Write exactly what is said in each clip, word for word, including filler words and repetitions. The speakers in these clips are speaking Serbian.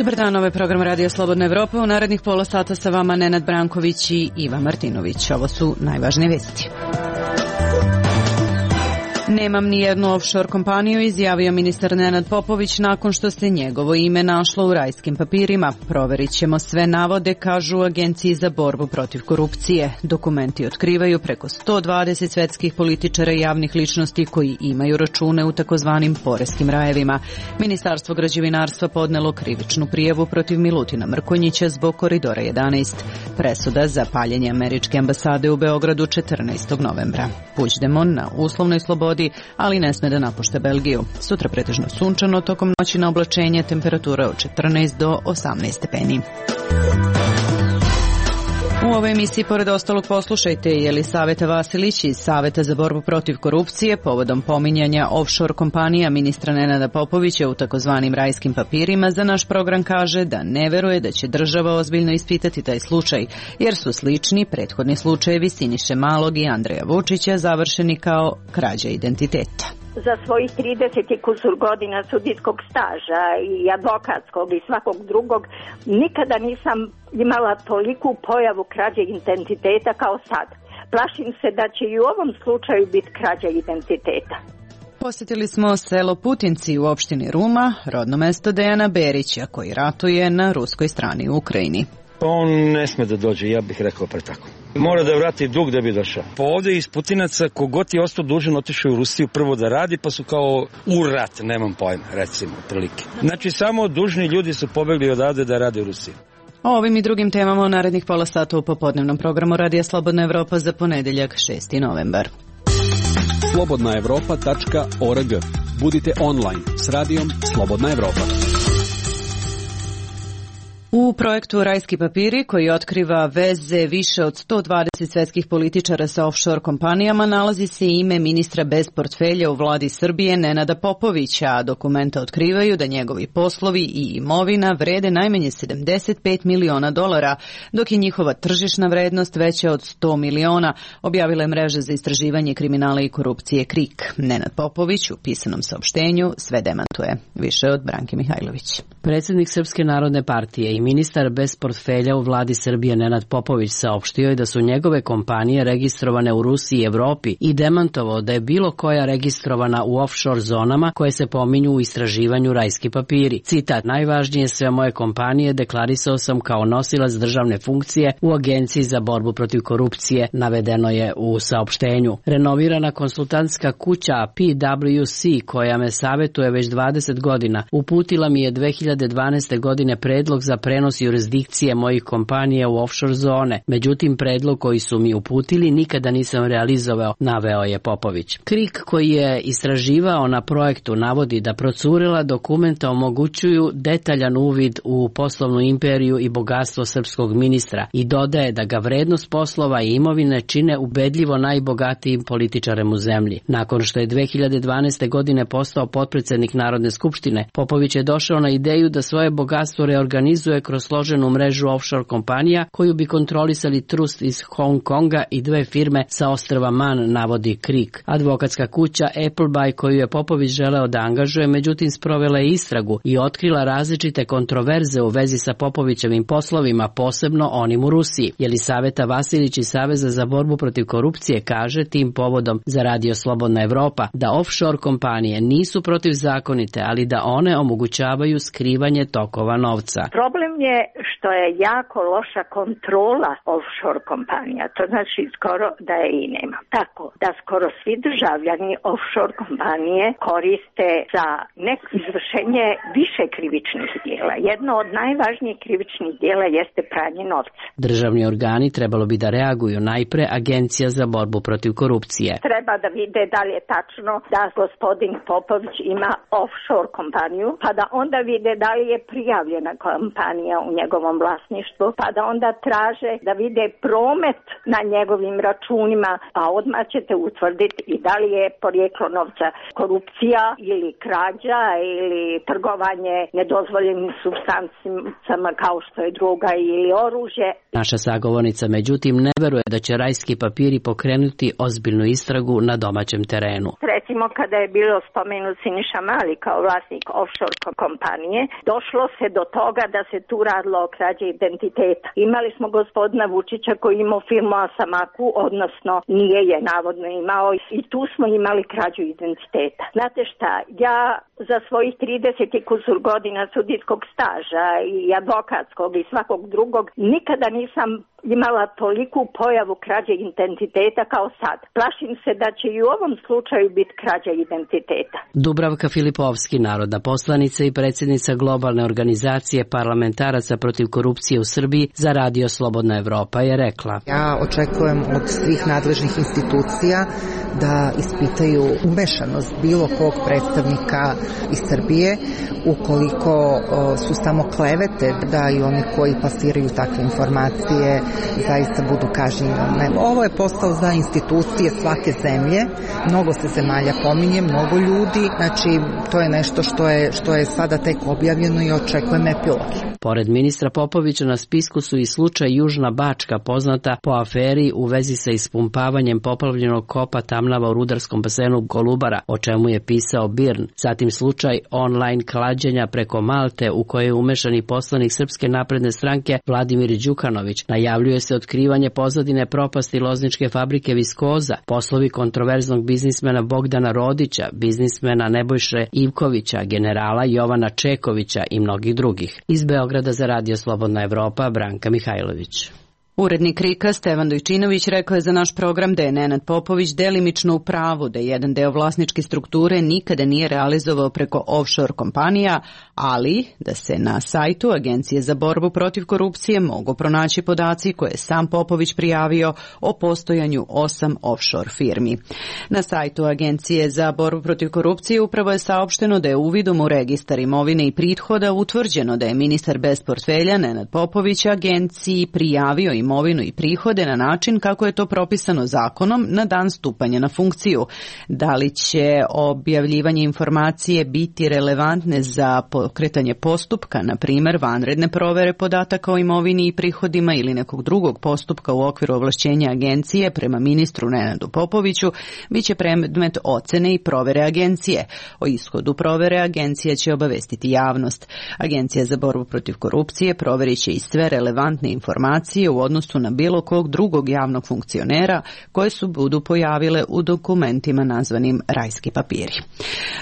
Dobar dan, ovo je program Radio Slobodna Evropa. U narednih pola sata sa vama Nenad Branković i Iva Martinović. Ovo su najvažnije vesti. Nemam ni jednu offshore kompaniju, izjavio ministar Nenad Popović nakon što se njegovo ime našlo u rajskim papirima. Proverit ćemo sve navode, kažu u Agenciji za borbu protiv korupcije. Dokumenti otkrivaju preko sto dvadeset svetskih političara i javnih ličnosti koji imaju račune u takozvanim poreskim rajevima. Ministarstvo građevinarstva podnelo krivičnu prijavu protiv Milutina Mrkonjića zbog Koridora jedanaest. Presuda za paljenje američke ambasade u Beogradu četrnaestog novembra. Puigdemont na uslovnoj slobodi, ali ne sme da napušta Belgiju. Sutra pretežno sunčano, tokom noći na oblačenje, temperatura od četrnaest do osamnaest stepeni. U ovoj emisiji, pored ostalog, poslušajte Jelisaveta Vasilić iz Saveta za borbu protiv korupcije povodom pominjanja offshore kompanija ministra Nenada Popovića u takozvanim rajskim papirima. Za naš program kaže da ne veruje da će država ozbiljno ispitati taj slučaj, jer su slični prethodni slučajevi Siniše Malog i Andreja Vučića završeni kao krađa identiteta. Za svojih trideset i kusur godina sudijskog staža i advokatskog i svakog drugog nikada nisam imala toliku pojavu krađe identiteta kao sad. Plašim se da će i u ovom slučaju biti krađa identiteta. Posjetili smo selo Putinci u opštini Ruma, rodno mesto Dejana Berića, koji ratuje na ruskoj strani u Ukrajini. Pa on ne sme da dođe, ja bih rekao pre tako. Mora da vrati dug da bi došao. Pa ovdje iz Putinaca kogod je ostao dužan otišao u Rusiju prvo da radi, pa su kao u rat, nemam pojma, recimo, prilike. Znači samo dužni ljudi su pobegli odavde da rade u Rusiji. O ovim i drugim temama u narednih pola sata u popodnevnom programu Radija Slobodna Evropa za ponedeljak šesti novembar. slobodna evropa tačka org. Budite online s radijom Slobodna Evropa. U projektu Rajski papiri, koji otkriva veze više od sto dvadeset svetskih političara sa offshore kompanijama, nalazi se ime ministra bez portfelja u vladi Srbije Nenada Popovića, a dokumenta otkrivaju da njegovi poslovi i imovina vrede najmanje sedamdeset pet miliona dolara, dok je njihova tržišna vrednost veća od sto miliona, objavila je mreža za istraživanje kriminala i korupcije KRIK. Nenad Popović u pisanom saopštenju sve demantuje. Više od Branke Mihajlović. Predsjednik Srpske narodne partije i ministar bez portfelja u vladi Srbije Nenad Popović saopštio je da su njegove kompanije registrovane u Rusiji i Evropi i demantovao da je bilo koja registrovana u offshore zonama koje se pominju u istraživanju Rajski papiri. Citat: najvažnije sve moje kompanije deklarisao sam kao nosilac državne funkcije u Agenciji za borbu protiv korupcije, navedeno je u saopštenju. Renovirana konsultantska kuća P W C, koja me savjetuje već dvadeset godina, uputila mi je dve hiljade dvanaeste. godine predlog za prenos jurisdikcije mojih kompanija u offshore zone. Međutim, predlog koji su mi uputili nikada nisam realizovao, naveo je Popović. KRIK, koji je istraživao na projektu, navodi da procurela dokumenta omogućuju detaljan uvid u poslovnu imperiju i bogatstvo srpskog ministra i dodaje da ga vrednost poslova i imovine čine ubedljivo najbogatijim političarem u zemlji. Nakon što je dve hiljade dvanaeste. godine postao potpredsjednik Narodne skupštine, Popović je došao na ideju da svoje bogatstvo reorganizuje kroz složenu mrežu offshore kompanija koju bi kontrolisali trust iz Hong Konga i dve firme sa ostrva Man, navodi KRIK. Advokatska kuća Appleby, koju je Popović želeo da angažuje, međutim sprovela je istragu i otkrila različite kontroverze u vezi sa Popovićevim poslovima, posebno onim u Rusiji. Jelisaveta Vasilić iz Saveza za borbu protiv korupcije kaže tim povodom za Radio Slobodna Evropa da offshore kompanije nisu protivzakonite, ali da one omogućavaju skrivanje tokova novca. Problem je što je jako loša kontrola offshore kompanija. To znači skoro da je i nema. Tako da skoro svi državljani offshore kompanije koriste za neko izvršenje više krivičnih dijela. Jedno od najvažnijih krivičnih dijela jeste pranje novca. Državni organi trebalo bi da reaguju, najpre Agencija za borbu protiv korupcije. Treba da vide da li je tačno da gospodin Popović ima offshore kompaniju, pa da onda vide da li je prijavljena kompanija kompanija u njegovom vlasništvu, pa da onda traže da vide promet na njegovim računima, a odmah ćete utvrditi i da li je porijeklo novca korupcija ili krađa ili trgovanje nedozvoljenim supstancama kao što je droga ili oružje. Naša sagovornica međutim ne veruje da će rajski papiri pokrenuti ozbiljnu istragu na domaćem terenu. Recimo kada je bilo spomenut Siniša Mali kao vlasnik offshore kompanije, došlo se do toga da se tu radilo o krađi identiteta. Imali smo gospodina Vučića koji imao firmu Asamaku, odnosno nije je navodno imao, i tu smo imali krađu identiteta. Znate šta, ja za svojih trideset i kusur godina sudijskog staža i advokatskog i svakog drugog nikada nisam imala toliku pojavu krađe identiteta kao sad. Plašim se da će i u ovom slučaju biti krađa identiteta. Dubravka Filipovski, narodna poslanica i predsjednica globalne organizacije parlamentaraca protiv korupcije u Srbiji za Radio Slobodna Evropa, je rekla: Ja očekujem od svih nadležnih institucija da ispitaju umešanost bilo kog predstavnika iz Srbije, ukoliko su samo klevete, da i oni koji plasiraju takve informacije zaista budu kažnjeni. Ovo je posao za institucije svake zemlje, mnogo se zemalja pominje, mnogo ljudi, znači to je nešto što je, što je sada tek objavljeno i očekujem epilog. Pored ministra Popovića na spisku su i slučaj Južna Bačka, poznata po aferi u vezi sa ispumpavanjem poplavljenog kopa Tamnava u rudarskom basenu Golubara, o čemu je pisao Birn. Zatim slučaj online klađenja preko Malte u kojoj je umešan i poslanik Srpske napredne stranke Vladimir Đukanović. Najavljuje se otkrivanje pozadine propasti lozničke fabrike Viskoza, poslovi kontroverznog biznismena Bogdana Rodića, biznismena Nebojše Ivkovića, generala Jovana Čekovića i mnogih drugih. Iz Beograda za Radio Slobodna Evropa, Branka Mihajlović. Urednik Rika Stevan Dojčinović rekao je za naš program da je Nenad Popović delimično u pravu, da jedan deo vlasničke strukture nikada nije realizovao preko offshore kompanija, ali da se na sajtu Agencije za borbu protiv korupcije mogu pronaći podaci koje je sam Popović prijavio o postojanju osam offshore firmi. Na sajtu Agencije za borbu protiv korupcije upravo je saopšteno da je uvidom u registar imovine i prihoda utvrđeno da je ministar bez portfelja Nenad Popović agenciji prijavio imovinu i prihode na način kako je to propisano zakonom na dan stupanja na funkciju. Da li će objavljivanje informacije biti relevantne za pokretanje postupka, na primjer vanredne provere podataka o imovini i prihodima ili nekog drugog postupka u okviru ovlašćenja agencije prema ministru Nenadu Popoviću, bit će predmet ocene i provere agencije. O ishodu provere agencija će obavestiti javnost. Agencija za borbu protiv korupcije proverit će i sve relevantne informacije u odnosu na bilo kog drugog javnog funkcionera koje su budu pojavile u dokumentima nazvanim rajski papiri.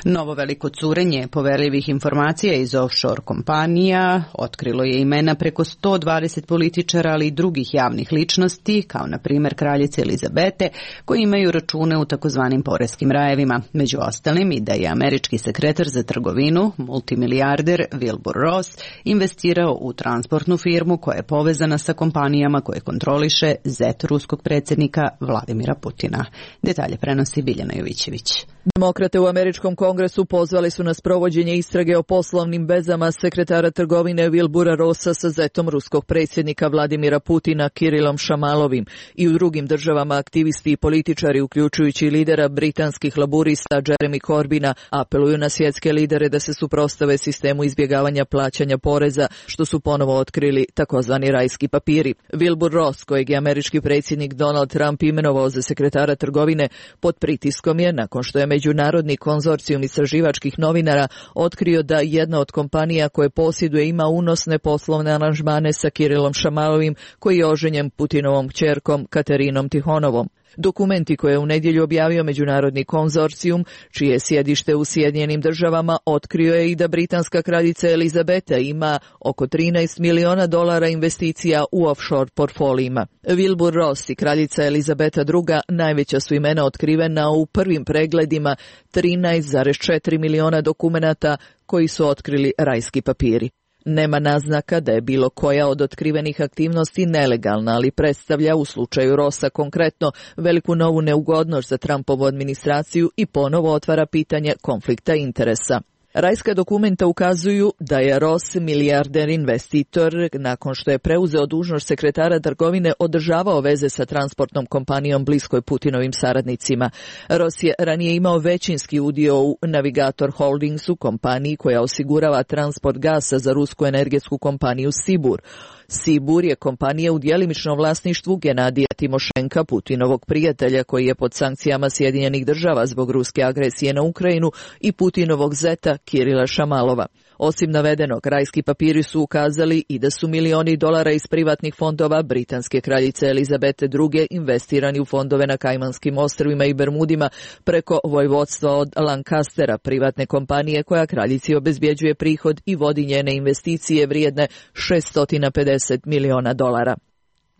Novo veliko curenje poverljivih informacija iz offshore kompanija otkrilo je imena preko sto dvadeset političara, ali i drugih javnih ličnosti, kao na primjer kraljice Elizabete, koji imaju račune u takozvanim poreskim rajevima. Među ostalim i da je američki sekretar za trgovinu, multimilijarder Wilbur Ross, investirao u transportnu firmu koja je povezana sa kompanijama koje kontroliše zet ruskog predsjednika Vladimira Putina. Detalje prenosi Biljana Jovićević. Demokrate u američkom kongresu pozvali su na sprovođenje istrage o poslovnim vezama sekretara trgovine Wilbura Rossa sa zetom ruskog predsjednika Vladimira Putina Kirilom Šamalovim. I u drugim državama aktivisti i političari, uključujući i lidera britanskih laburista Jeremy Corbina, apeluju na svjetske lidere da se suprotstave sistemu izbjegavanja plaćanja poreza, što su ponovo otkrili takozvani rajski papiri. Wilbur Ross, kojeg je američki predsjednik Donald Trump imenovao za sekretara trgovine, pod pritiskom je, nakon što je međunarodni konzorcijum istraživačkih novinara otkrio da jedna od kompanija koje posjeduje ima unosne poslovne aranžmane sa Kirilom Šamalovim, koji je oženjen Putinovom kćerkom Katerinom Tihonovom. Dokumenti koje je u nedjelju objavio međunarodni konzorcijum, čije je sjedište u Sjedinjenim državama, otkrio je i da britanska kraljica Elizabeta ima oko trinaest miliona dolara investicija u offshore portfolijima. Wilbur Ross i kraljica Elizabeta druga najveća su imena otkrivena u prvim pregledima trinaest zarez četiri miliona dokumenata koji su otkrili rajski papiri. Nema naznaka da je bilo koja od otkrivenih aktivnosti nelegalna, ali predstavlja u slučaju Rossa konkretno veliku novu neugodnost za Trumpovu administraciju i ponovo otvara pitanje konflikta interesa. Rajska dokumenta ukazuju da je Ross milijarder investitor nakon što je preuzeo dužnost sekretara trgovine održavao veze sa transportnom kompanijom bliskoj Putinovim saradnicima. Ross je ranije imao većinski udio u Navigator Holdingsu, kompaniji koja osigurava transport gasa za rusku energetsku kompaniju Sibur. Sibur je kompanija u djelimičnom vlasništvu Genadija Timošenka, Putinovog prijatelja koji je pod sankcijama Sjedinjenih država zbog ruske agresije na Ukrajinu, i Putinovog zeta Kirila Šamalova. Osim navedenog, rajski papiri su ukazali i da su milioni dolara iz privatnih fondova britanske kraljice Elizabete druge investirani u fondove na Kajmanskim ostrvima i Bermudima preko vojvodstva od Lancastera, privatne kompanije koja kraljici obezbjeđuje prihod i vodi njene investicije vrijedne šesto pedeset miliona dolara.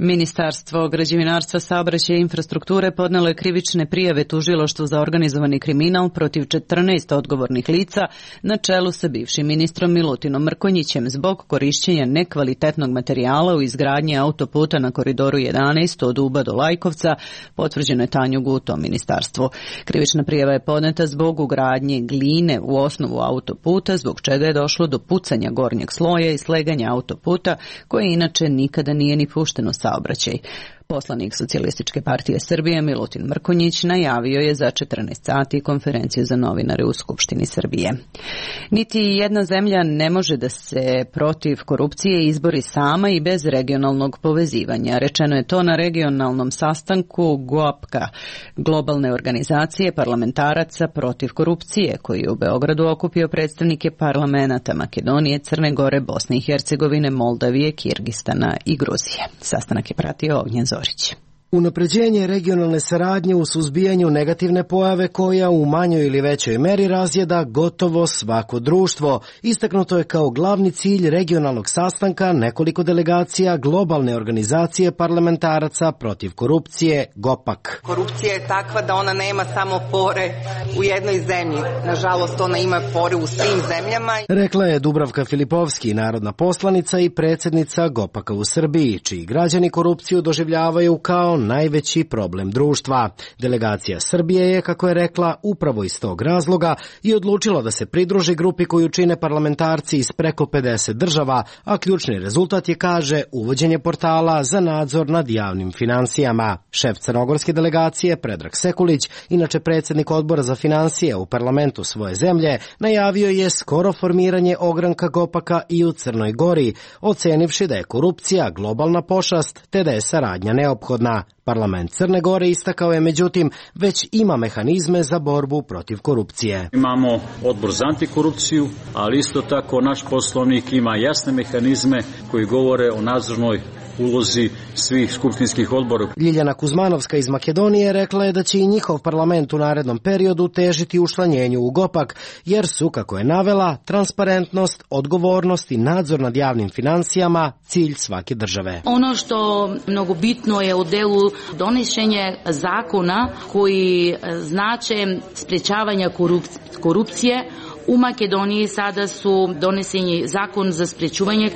Ministarstvo građevinarstva, saobraćaja i infrastrukture podnelo je krivične prijave tužilaštvu za organizovani kriminal protiv četrnaest odgovornih lica na čelu sa bivšim ministrom Milutinom Mrkonjićem zbog korišćenja nekvalitetnog materijala u izgradnji autoputa na koridoru jedanaest od Uba do Lajkovca, potvrđeno je Tanju Guto ministarstvu. Krivična prijava je podneta zbog ugradnje gline u osnovu autoputa, zbog čega je došlo do pucanja gornjeg sloja i sleganja autoputa, koje inače nikada nije ni pušteno sa saobraćaj. Poslanik Socijalističke partije Srbije Milutin Mrkonjić najavio je za četrnaest sati konferenciju za novinare u Skupštini Srbije. Niti jedna zemlja ne može da se protiv korupcije izbori sama i bez regionalnog povezivanja. Rečeno je to na regionalnom sastanku GOAPKA, globalne organizacije parlamentaraca protiv korupcije, koji je u Beogradu okupio predstavnike parlamenata Makedonije, Crne Gore, Bosne i Hercegovine, Moldavije, Kirgistana i Gruzije. Sastanak je pratio Ognjen Zorić. Unapređenje regionalne saradnje u suzbijanju negativne pojave koja u manjoj ili većoj meri razjeda gotovo svako društvo. Istaknuto je kao glavni cilj regionalnog sastanka nekoliko delegacija globalne organizacije parlamentaraca protiv korupcije GOPAK. Korupcija je takva da ona nema samo pore u jednoj zemlji. Nažalost, ona ima pore u svim zemljama. Rekla je Dubravka Filipovski, narodna poslanica i predsjednica GOPAK-a u Srbiji, čiji građani korupciju doživljavaju kao najveći problem društva. Delegacija Srbije je, kako je rekla, upravo iz tog razloga i odlučila da se pridruži grupi koju čine parlamentarci iz preko pedeset država, a ključni rezultat je, kaže, uvođenje portala za nadzor nad javnim finansijama. Šef crnogorske delegacije Predrag Sekulić, inače predsjednik odbora za finansije u parlamentu svoje zemlje, najavio je skoro formiranje ogranka GOPAK-a i u Crnoj Gori, ocenivši da je korupcija globalna pošast te da je saradnja neophodna. Parlament Crne Gore istakao je, međutim, već ima mehanizme za borbu protiv korupcije. Imamo odbor za antikorupciju, ali isto tako naš poslovnik ima jasne mehanizme koji govore o nadzornoj ulozi svih skupštinskih odbora. Ljiljana Kuzmanovska iz Makedonije rekla je da će i njihov parlament u narednom periodu težiti učlanjenju u GOPAK, jer su, kako je navela, transparentnost, odgovornost i nadzor nad javnim financijama cilj svake države. Ono što mnogo bitno je u delu donošenja zakona koji znače sprečavanja korupcije. U Makedoniji sada su doneseni zakon za sprečuvanje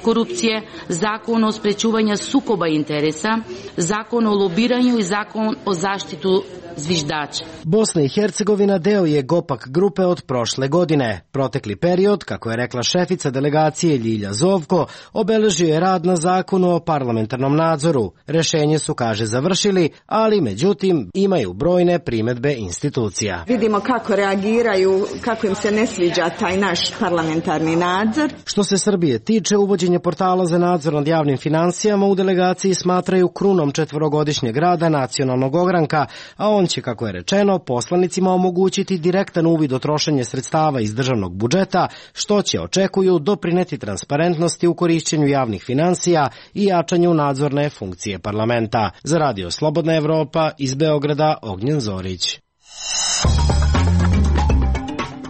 korupcije, zakon o sprečuvanju sukoba interesa, zakon o lobiranju i zakon o zaštitu zviždača. Bosna i Hercegovina deo je GOPAK grupe od prošle godine. Protekli period, kako je rekla šefica delegacije Ljilja Zovko, obeležio je rad na zakonu o parlamentarnom nadzoru. Rešenje su, kaže, završili, ali međutim imaju brojne primedbe institucija. Vidimo kako reagiraju, kako im se ne sviđa taj naš parlamentarni nadzor. Što se Srbije tiče, uvođenje portala za nadzor nad javnim finansijama u delegaciji smatraju krunom četvorogodišnjeg rada nacionalnog ogranka, a on će, kako je rečeno, poslanicima omogućiti direktan uvid o trošenje sredstava iz državnog budžeta, što će, očekuju, doprineti transparentnosti u korišćenju javnih finansija i jačanju nadzorne funkcije parlamenta. Za Radio Slobodna Evropa iz Beograda, Ognjen Zorić.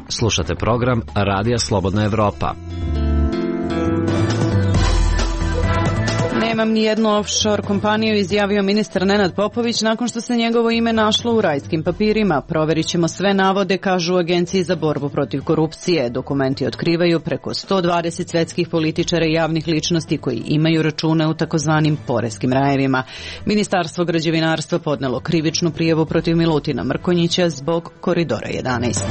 Slušate program Radija Slobodna Evropa. Nemam ni jednu offshore kompaniju, izjavio ministar Nenad Popović nakon što se njegovo ime našlo u rajskim papirima. Proverit ćemo sve navode, kažu u Agenciji za borbu protiv korupcije. Dokumenti otkrivaju preko sto dvadeset svetskih političara i javnih ličnosti koji imaju račune u takozvanim poreskim rajevima. Ministarstvo građevinarstva podnelo krivičnu prijavu protiv Milutina Mrkonjića zbog koridora jedanaest.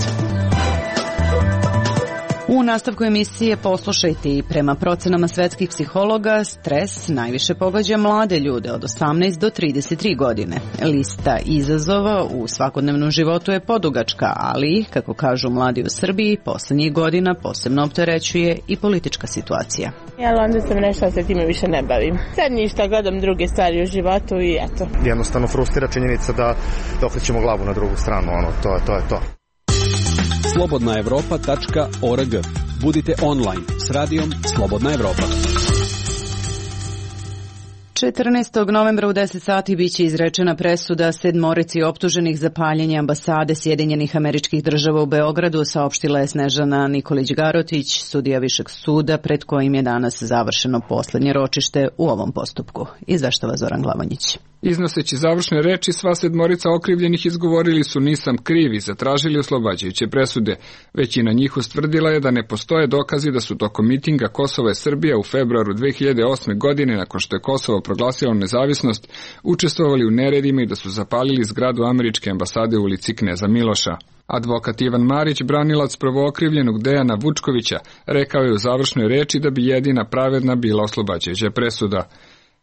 U nastavku emisije poslušajte i prema procenama svetskih psihologa, stres najviše pogađa mlade ljude od osamnaest do trideset tri godine. Lista izazova u svakodnevnom životu je podugačka, ali, kako kažu mladi u Srbiji, poslednjih godina posebno opterećuje i politička situacija. Ja onda sam nešto se time više ne bavim. Sad ništa, gledam druge stvari u životu i eto. Jednostavno frustrira činjenica da, da okrećemo glavu na drugu stranu, ono, to, to je to. slobodna evropa tačka org. Budite online s radijom Slobodna Evropa. četrnaestog novembra u deset sati biće izrečena presuda sedmorici optuženih za paljenje ambasade Sjedinjenih Američkih Država u Beogradu, saopštila je Snežana Nikolić-Garotić, sudija Višeg suda, pred kojim je danas završeno poslednje ročište u ovom postupku. Izveštava Zoran Glavanjić. Iznoseći završne reči, sva sedmorica okrivljenih izgovorili su nisam kriv i zatražili oslobađajuće presude. Većina njih ustvrdila je da ne postoje dokazi da su tokom mitinga Kosova i Srbija u februaru dve hiljade osme. godine, nakon što je Kosovo proglasilo nezavisnost, učestvovali u neredima i da su zapalili zgradu američke ambasade u ulici Kneza Miloša. Advokat Ivan Marić, branilac prvookrivljenog Dejana Vučkovića, rekao je u završnoj reči da bi jedina pravedna bila oslobađajuća presuda.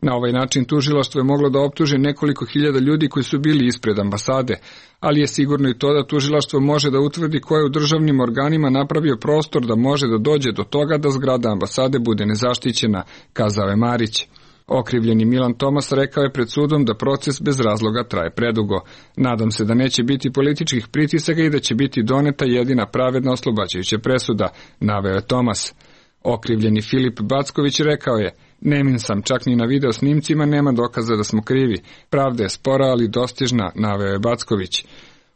Na ovaj način tužilaštvo je moglo da optuži nekoliko hiljada ljudi koji su bili ispred ambasade, ali je sigurno i to da tužilaštvo može da utvrdi ko je u državnim organima napravio prostor da može da dođe do toga da zgrada ambasade bude nezaštićena, kazao je Marić. Okrivljeni Milan Tomas rekao je pred sudom da proces bez razloga traje predugo. Nadam se da neće biti političkih pritisaka i da će biti doneta jedina pravedna oslobađajuća presuda, naveo je Tomas. Okrivljeni Filip Backović rekao je: Nemin sam, čak ni na video snimcima nema dokaza da smo krivi. Pravda je spora, ali dostižna, naveo je Backović.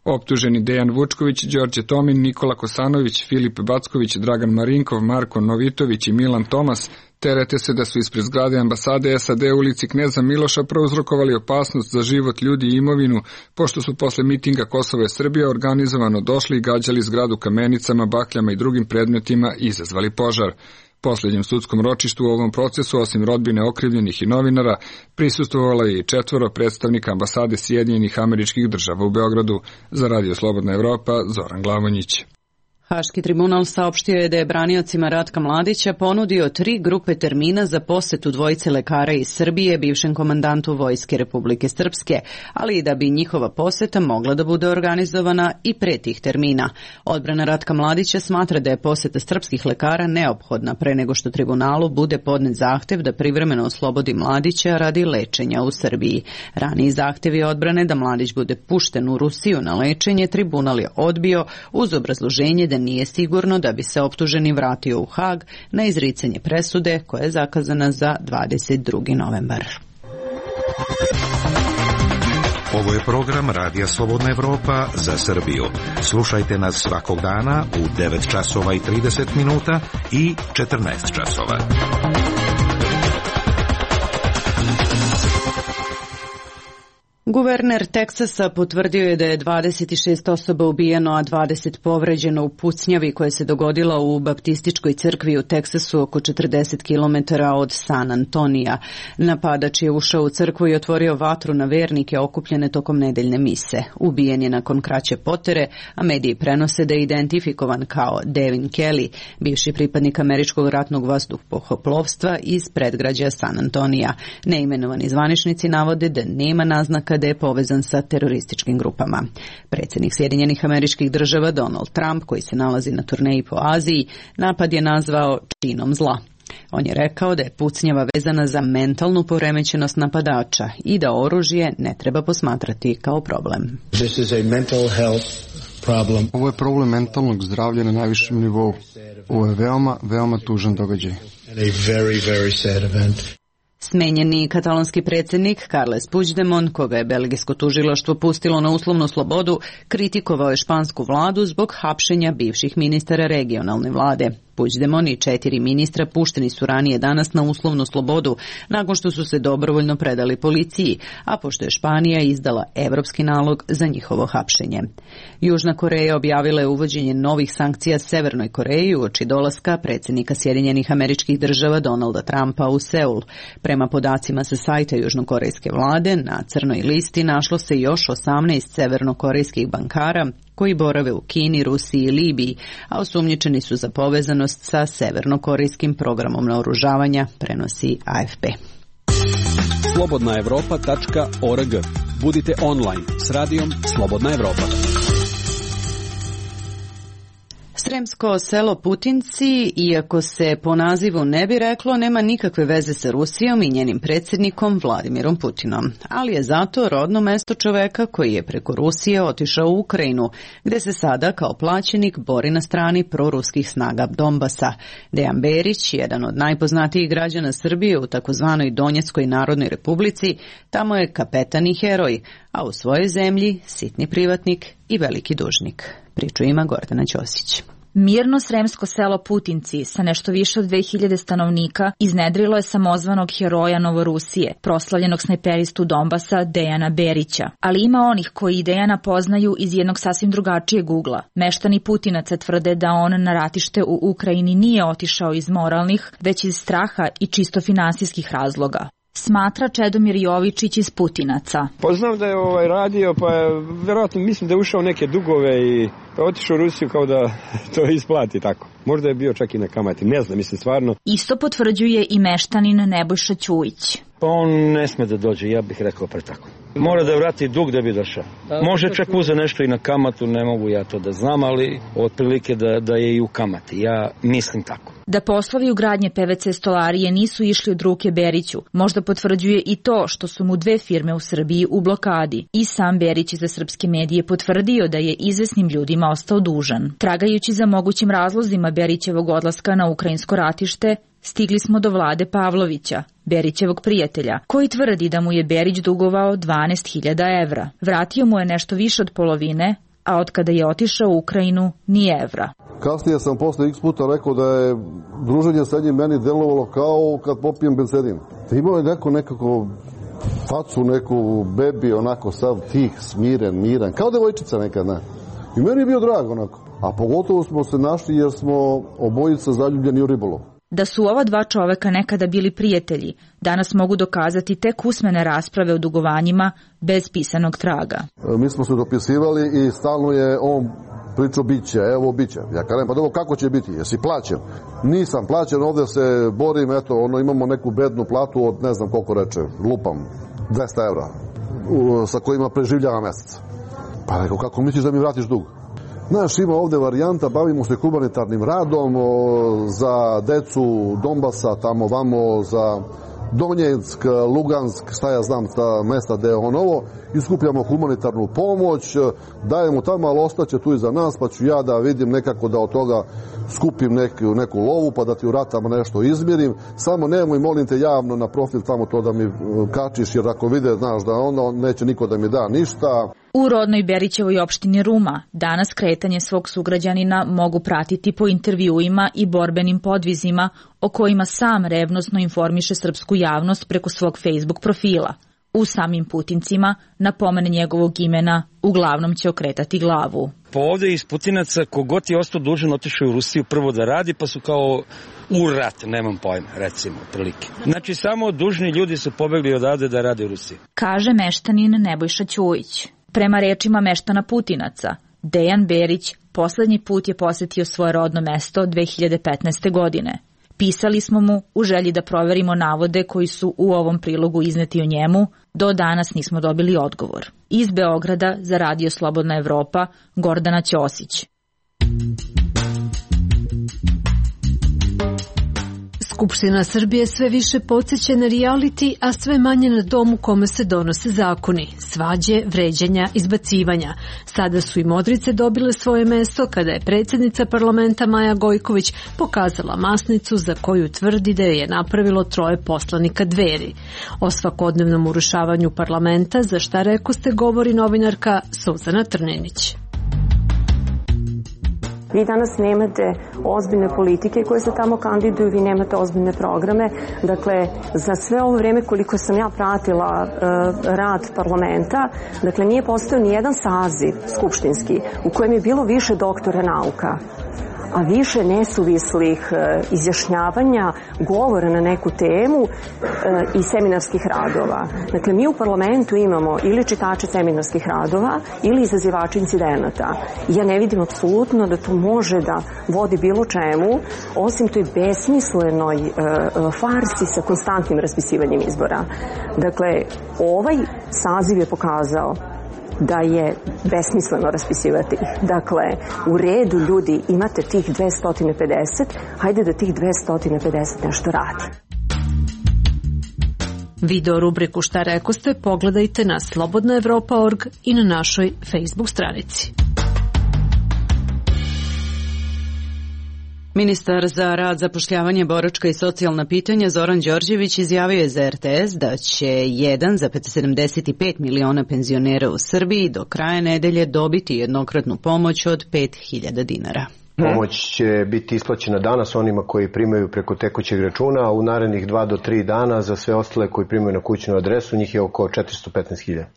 Optuženi Dejan Vučković, Đorđe Tomin, Nikola Kosanović, Filip Backović, Dragan Marinkov, Marko Novitović i Milan Tomas terete se da su ispred zgrade ambasade S A D u ulici Kneza Miloša prouzrokovali opasnost za život ljudi i imovinu, pošto su posle mitinga Kosova i Srbija organizovano došli i gađali zgradu kamenicama, bakljama i drugim predmetima i izazvali požar. Poslednjem sudskom ročištu u ovom procesu, osim rodbine okrivljenih i novinara, prisustvovalo je i četvoro predstavnika ambasade Sjedinjenih Američkih Država u Beogradu. Za Radio Slobodna Evropa, Zoran Glavanjić. Haški tribunal saopštio je da je braniocima Ratka Mladića ponudio tri grupe termina za posetu dvojice lekara iz Srbije bivšem komandantu Vojske Republike Srpske, ali i da bi njihova poseta mogla da bude organizovana i pre tih termina. Odbrana Ratka Mladića smatra da je poseta srpskih lekara neophodna pre nego što tribunalu bude podnet zahtev da privremeno oslobodi Mladića radi lečenja u Srbiji. Raniji zahtevi odbrane da Mladić bude pušten u Rusiju na lečenje tribunal je odbio uz obrazloženje da nije sigurno da bi se optuženi vratio u Hag na izricanje presude koja je zakazana za dvadeset drugi novembar. Ovo je program Radija Slobodna Evropa za Srbiju. Slušajte nas svakog dana u devet časova i trideset minuta i četrnaest časova. Guverner Teksasa potvrdio je da je dvadeset šest osoba ubijeno, a dvadeset povređeno u pucnjavi koja se dogodila u baptističkoj crkvi u Teksasu oko četrdeset kilometara od San Antonija. Napadač je ušao u crkvu i otvorio vatru na vernike okupljene tokom nedeljne mise. Ubijen je nakon kraće potere, a mediji prenose da je identifikovan kao Devin Kelly, bivši pripadnik američkog ratnog vazduhoplovstva iz predgrađa San Antonija. Neimenovani zvaničnici navode da nema naznaka da je povezan sa terorističkim grupama. Predsjednik Sjedinjenih Američkih Država Donald Trump, koji se nalazi na turneji po Aziji, napad je nazvao činom zla. On je rekao da je pucnjava vezana za mentalnu poremećenost napadača i da oružje ne treba posmatrati kao problem. This is a mental health problem. Ovo je problem mentalnog zdravlja na najvišem nivou. Ovo je veoma, veoma tužan događaj. And a very, very sad event. Smenjeni katalonski predsjednik Carles Puigdemont, koga je belgijsko tužilaštvo pustilo na uslovnu slobodu, kritikovao je špansku vladu zbog hapšenja bivših ministara regionalne vlade. Puigdemont i četiri ministra pušteni su ranije danas na uslovnu slobodu nakon što su se dobrovoljno predali policiji, a pošto je Španija izdala evropski nalog za njihovo hapšenje. Južna Koreja objavila je uvođenje novih sankcija Severnoj Koreji uoči dolaska predsjednika Sjedinjenih Američkih Država Donalda Trumpa u Seul. Prema podacima sa sajta južnokorejske vlade, na crnoj listi našlo se još osamnaest severnokorejskih bankara koji borave u Kini, Rusiji i Libiji, a osumnjičeni su za povezanost sa severnokorejskim programom naoružavanja, prenosi A F P. slobodna evropa tačka org. Budite online s radijom Slobodna Evropa. Sremsko selo Putinci, iako se po nazivu ne bi reklo, nema nikakve veze sa Rusijom i njenim predsjednikom Vladimirom Putinom, ali je zato rodno mesto čoveka koji je preko Rusije otišao u Ukrajinu, gde se sada kao plaćenik bori na strani proruskih snaga Donbasa. Dejan Berić, jedan od najpoznatijih građana Srbije u takozvanoj Donjeckoj narodnoj republici, tamo je kapetan i heroj, a u svojoj zemlji sitni privatnik i veliki dužnik. Priču ima Gordana Ćosić. Mirno sremsko selo Putinci sa nešto više od dve hiljade stanovnika iznedrilo je samozvanog heroja Novorusije, proslavljenog snajperistu Donbasa Dejana Berića. Ali ima onih koji Dejana poznaju iz jednog sasvim drugačijeg ugla. Meštani Putinaca tvrde da on na ratište u Ukrajini nije otišao iz moralnih, već iz straha i čisto finansijskih razloga. Smatra Čedomir Jovičić iz Putinaca. Pa znam da je ovaj radio, pa verovatno mislim da je ušao neke dugove i pa otišao u Rusiju kao da to isplati tako. Možda je bio čak i na kamati, ne znam, mislim stvarno. Isto potvrđuje i meštanin Nebojša Ćujić. Pa on ne sme da dođe, ja bih rekao pre tako. Mora da vrati dug da bi došao. Može čak uze nešto i na kamatu, ne mogu ja to da znam, ali otprilike da, da je i u kamati. Ja mislim tako. Da poslovi ugradnje P V C stolarije nisu išli od ruke Beriću, možda potvrđuje i to što su mu dve firme u Srbiji u blokadi. I sam Berić za srpske medije potvrdio da je izvesnim ljudima ostao dužan. Tragajući za mogućim razlozima Berićevog odlaska na ukrajinsko ratište, stigli smo do Vlade Pavlovića, Berićevog prijatelja, koji tvrdi da mu je Berić dugovao dvanaest hiljada evra. Vratio mu je nešto više od polovine, a od kada je otišao u Ukrajinu ni evra. Kasnije sam posle x puta rekao da je druženje sa njim meni delovalo kao kad popijem bensedin. Imao je neko nekako facu, neku bebi, onako sav tih, smiren, miran, kao devojčica nekad, ne. I meni je bio drag onako. A pogotovo smo se našli jer smo obojica zaljubljeni u ribolov. Da su ova dva čoveka nekada bili prijatelji, danas mogu dokazati tek usmene rasprave o dugovanjima bez pisanog traga. Mi smo se dopisivali i stalno je on pričao biće, evo biće. Ja kažem, pa dobro, kako će biti? Jesi plaćen? Nisam plaćen, ovde se borim, eto, ono, imamo neku bednu platu od ne znam koliko reče, lupam, dvesta evra, sa kojima preživljava mesec. Pa rekao, kako misliš da mi vratiš dug? Znaš, ima ovde varijanta, bavimo se humanitarnim radom o, za decu Donbasa, tamo vamo, za Donjeck, Lugansk, šta ja znam, ta mesta gde je on ovo, iskupljamo humanitarnu pomoć, dajemo tamo, ali ostaće tu iza nas, pa ću ja da vidim nekako da od toga skupim neku, neku lovu, pa da ti u ratama nešto izmirim. Samo nemoj, molim te, javno na profil tamo to da mi kačiš, jer ako vide, znaš, da ono, neće niko da mi da ništa. U rodnoj Berićevoj opštini Ruma danas kretanje svog sugrađanina mogu pratiti po intervjuima i borbenim podvizima o kojima sam revnosno informiše srpsku javnost preko svog Facebook profila. U samim Putincima na pomen njegovog imena uglavnom će okretati glavu. Pa ovde iz Putinaca kogod je ostao dužan otišao u Rusiju prvo da radi, pa su kao u rat, nemam pojma, recimo, prilike. Znači samo dužni ljudi su pobegli odavde da rade u Rusiji. Kaže meštanin Nebojša Ćujić. Prema rečima meštana Putinaca, Dejan Berić poslednji put je posetio svoje rodno mesto dve hiljade petnaeste. godine. Pisali smo mu u želji da proverimo navode koji su u ovom prilogu izneti o njemu, do danas nismo dobili odgovor. Iz Beograda za Radio Slobodna Evropa, Gordana Ćosić. Skupština Srbije sve više podsjeća na reality, a sve manje na dom u kome se donose zakoni, svađe, vređanja, izbacivanja. Sada su i modrice dobile svoje mesto kada je predsjednica parlamenta Maja Gojković pokazala masnicu za koju tvrdi da je napravilo troje poslanika Dveri. O svakodnevnom urušavanju parlamenta, za šta rekoste, govori novinarka Suzana Trninić. Vi danas nemate ozbiljne politike koje se tamo kandiduju, vi nemate ozbiljne programe. Dakle, za sve ovo vreme koliko sam ja pratila uh, rad parlamenta, dakle, nije postojao ni jedan saziv skupštinski u kojem je bilo više doktora nauka. a više nesuvislih izjašnjavanja, govora na neku temu i seminarskih radova. Dakle, mi u parlamentu imamo ili čitače seminarskih radova ili izazivače incidenata. Ja ne vidim apsolutno da to može da vodi bilo čemu, osim toj besmislenoj farsi sa konstantnim raspisivanjem izbora. Dakle, ovaj saziv je pokazao da je besmisleno raspisivati ih. Dakle, u redu ljudi, imate tih dvesta pedeset, hajde da tih dvesta pedeset nešto radi. Video rubriku Šta rekoste pogledajte na slobodna evropa tačka org i na našoj Facebook stranici. Ministar za rad, zapošljavanje, boračka i socijalna pitanja Zoran Đorđević izjavio je za er te es da će jedan zarez sedamdeset pet miliona penzionera u Srbiji do kraja nedelje dobiti jednokratnu pomoć od pet hiljada dinara. Pomoć će biti isplaćena danas onima koji primaju preko tekućeg računa, a u narednih dva do tri dana za sve ostale koji primaju na kućnu adresu, njih je oko četiristo petnaest hiljada.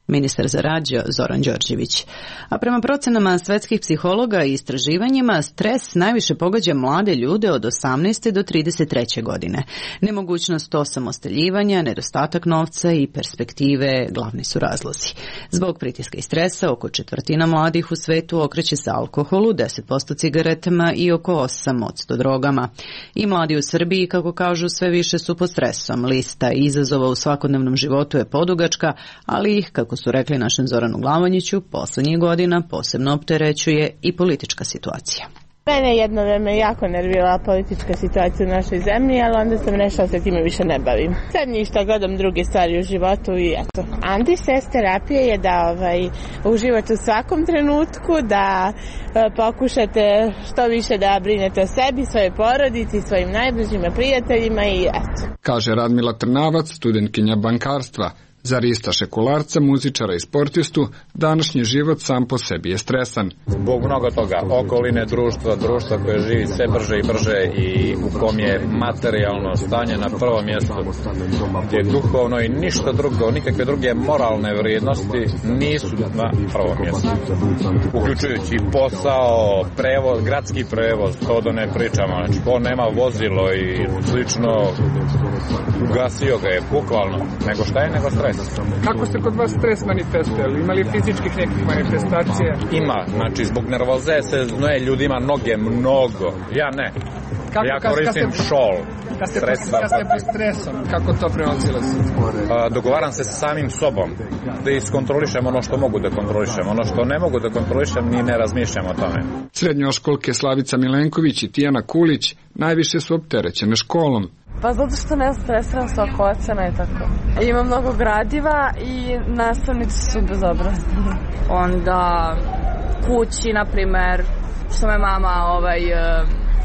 Ministar za rad Zoran Đorđević. A prema procenama svetskih psihologa i istraživanjima, stres najviše pogađa mlade ljude od osamnaeste do trideset treće godine. Nemogućnost osamostaljivanja, nedostatak novca i perspektive glavni su razlozi. Zbog pritiska i stresa, oko četvrtina mladih u svetu okreće se alkoholu, deset posto cigaretama i oko osam posto drogama. I mladi u Srbiji, kako kažu, sve više su pod stresom. Lista izazova u svakodnevnom životu je podugačka, ali ih, kako su rekli našem Zoranu Glavonjiću, poslednjih godina posebno opterećuje i politička situacija. Mene jedno vreme jako nervirala politička situacija u našoj zemlji, ali onda sam rešila se time više ne bavim. Sad ništa, gledam druge stvari u životu i eto. Anti-stres terapija je da ovaj, uživate u svakom trenutku, da e, pokušate što više da brinete o sebi, svoje porodici, svojim najbližima prijateljima i eto. Kaže Radmila Trnavac, studentkinja bankarstva. Za Rista Šekularca, muzičara i sportistu, današnji život sam po sebi je stresan. Zbog mnogo toga, okoline društva, društva koje živi sve brže i brže i u kom je materijalno stanje na prvom mjestu, gdje je duhovno i ništa drugo, nikakve druge moralne vrijednosti nisu na prvom mjestu. Uključujući posao, prevoz, gradski prevoz, to da ne pričamo, znači ko nema vozilo i slično, ugasio ga je bukvalno, nego šta je nego stres. Kako se kod vas stres manifestuje? Ima li fizičkih nekih manifestacija? Ima, znači zbog nervoze se znoje ljudima noge mnogo, ja ne. Kako, ja koristim kad ste, šol. Kad ste, kad ste pod stresom, kako to prevazilazi? Dogovaram se sa samim sobom, da iskontrolišem ono što mogu da kontrolišem, ono što ne mogu da kontrolišem ni ne razmišljam o tome. Srednjoškolke Slavica Milenković i Tijana Kulić najviše su opterećene školom. Pa zato što ne stresiram se oko ocena i tako. Ima mnogo gradiva i nastavnici su bezobrazni. Onda kući, na primer, što me mama, ovaj,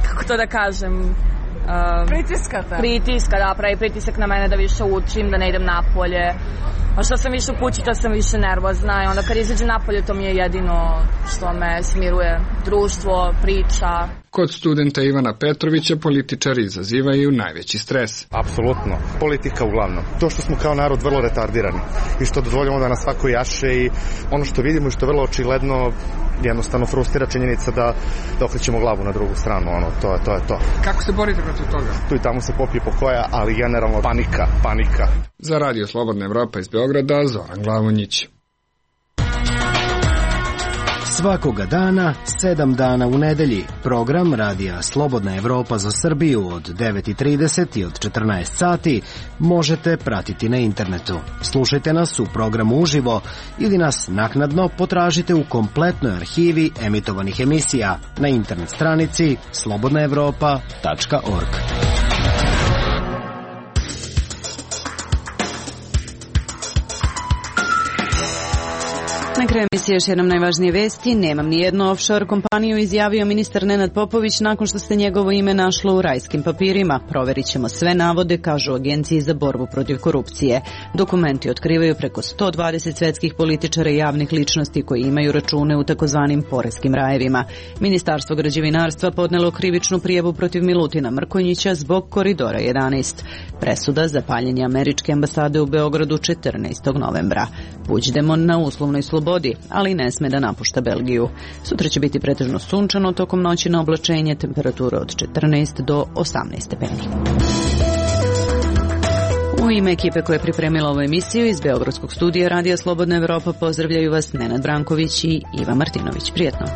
kako to da kažem, um, pritiskate. Pritiska, da, pravi pritisak na mene da više učim, da ne idem napolje. A što sam više u kući, to sam više nervozna i onda kad izađem napolje, to mi je jedino što me smiruje. Društvo, priča. Kod studenta Ivana Petrovića političari izazivaju najveći stres. Apsolutno. Politika uglavnom. To što smo kao narod vrlo retardirani i što dozvoljamo da nas svako jaše i ono što vidimo i što je vrlo očigledno jednostavno frustrira činjenica da, da okrećemo glavu na drugu stranu. Ono, to, je, to je to. Kako se borite protiv toga? Tu i tamo se popije po koja, ali generalno panika, panika. Za Radio Slobodna Evropa iz Beograda, Zoran Glavonjić. Svakoga dana, sedam dana u nedelji, program Radija Slobodna Evropa za Srbiju od devet i trideset i od četrnaest sati možete pratiti na internetu. Slušajte nas u programu uživo ili nas naknadno potražite u kompletnoj arhivi emitovanih emisija na internet stranici slobodna evropa tačka org. Na kraju emisije još jednom najvažnije vesti. Nemam ni jednu offshore kompaniju, izjavio ministar Nenad Popović nakon što se njegovo ime našlo u rajskim papirima. Proverit ćemo sve navode, kažu Agenciji za borbu protiv korupcije. Dokumenti otkrivaju preko sto dvadeset svetskih političara i javnih ličnosti koji imaju račune u takozvanim poreskim rajevima. Ministarstvo građevinarstva podnelo krivičnu prijavu protiv Milutina Mrkonjića zbog Koridora jedanaest. Presuda za paljenje američke ambasade u Beogradu četrnaestog novembra. Puigdemont na uslovnoj slobodi, ali ne sme da napušta Belgiju. Sutra će biti pretežno sunčano, tokom noći na oblačenje, temperatura od četrnaest do osamnaest stepeni. U ime ekipe koja je pripremila ovu emisiju iz Beogradskog studija Radija Slobodna Evropa pozdravljaju vas Nenad Branković i Iva Martinović. Prijetno!